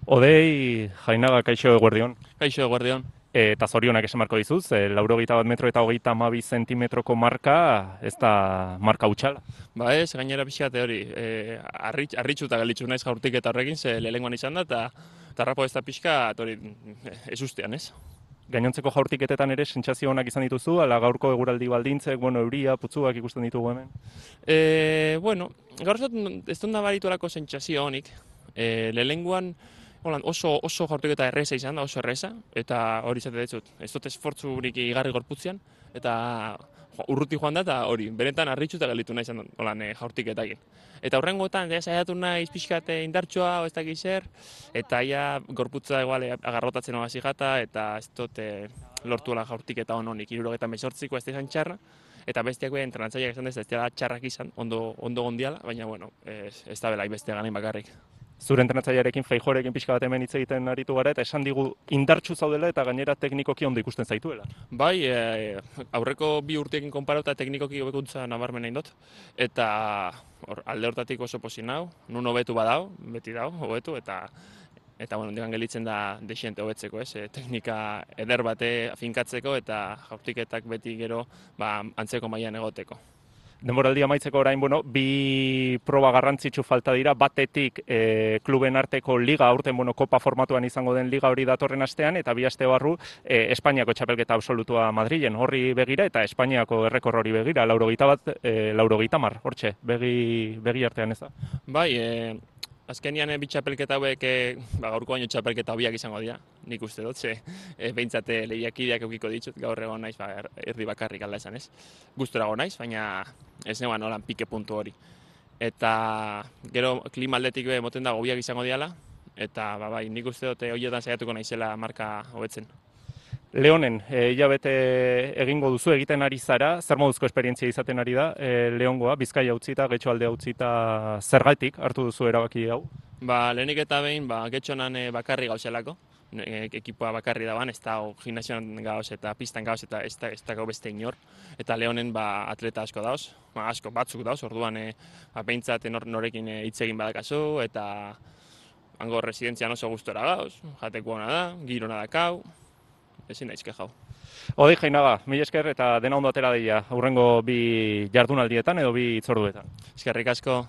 Odei, Jainaga, kaixo eguerdion. Kaixo, eguerdion. Eta zorionak esan marko dizuz, 81 metro eta 32 zentimetroko marka, ez da marka hutsala. Ba ez, gainera pixate hori, harritxuta galitzu naiz jaurtik eta horrekin, ze lehengoan izan da, eta rapo ez da pixka, hori, ez ustean, ez? Gainontzeko jaurtiketetan ere sentsazio onak izan dituzu, ala gaurko eguraldi baldintzek, euria, putzuak ikusten ditugu hemen. Bueno, gaur ez dut nabarituelako sentsazio honik. Lehengoan oso jaurtiketa erreza izan da, oso erreza, eta hori izate dut. Ez dut esfortzurik igarri gorputzean, eta urruti joan da, eta hori, benetan harritxuta galitu nahi izan jaurtiketakin. Eta horrengoetan, saiatu naiz pixkate indartxoa, ez dakiz zer, eta ia gorputza eguale agarrotatzen hasi jata, eta ez dut lortuela jaurtiketa honik, 78ko ez da izan txarra, eta bestiak behin entrenatzaileak esan ez dela txarrak izan, ondo gondiala, baina bueno, ez da belai bestia ganain bakarrik. Zure entrenatzailearekin, Feijorekin pixka bat hemen hitz egiten aritu gara, eta esan digu indartsu zaudela eta gainera teknikoki ondo ikusten zaituela. Bai, aurreko bi urteekin konparatuta teknikoki hobekuntza nabarmen egin dut, eta alde hortatik oso pozik nau, nun hobetu badau, beti dau, hobetu, eta bueno, digan gelitzen da desiente hobetzeko, ez? Teknika eder bate finkatzeko eta jaurtiketak beti gero antzeko mailan egoteko. Denboraldia amaitzeko orain, bi proba garrantzitsu falta dira, batetik kluben arteko liga, aurten kopa formatuan izango den liga hori datorren astean, eta bi aste barru Espainiako txapelketa absolutua Madrilen horri begira, eta Espainiako errekor hori begira, 80, hortxe, begi artean ez da. Bai, azkenian bi txapelketa hauek gaurko baino txapelketa hobiak izango dira, nik uste dut, behintzat lehiakideak eukiko ditut, gaur egon naiz, erdi bakarrik alda esan ez. Gustora egon naiz, baina ez neban holan pike puntu hori. Eta gero klima aldetik moten da hobiak izango diala, eta bai, nik uste dut horietan saiatuko naizela marka hobetzen. Leonen, hilabete egingo duzu, egiten ari zara, zer moduzko esperientzia izaten ari da, Leongoa, Bizkaia utzita, Getxoalde utzita, zergatik hartu duzu erabaki hau? Lehenik eta behin, Getxonan bakarri gauzelako, ekipoa bakarri daban, ez da gimnasioan gauz eta pistan gauz eta ez da beste inor. Eta Leonen atleta asko dauz, asko batzuk dauz, orduan behintzat norekin hitz egin badakazu, eta hango residentzian oso gustora gauz, jateko ona da, girona dakau, ezin daizke jau. Odei Jainaga, mila esker eta dena ondo atera deia, hurrengo bi jardunaldietan edo bi hitzorduetan. Eskerrik asko.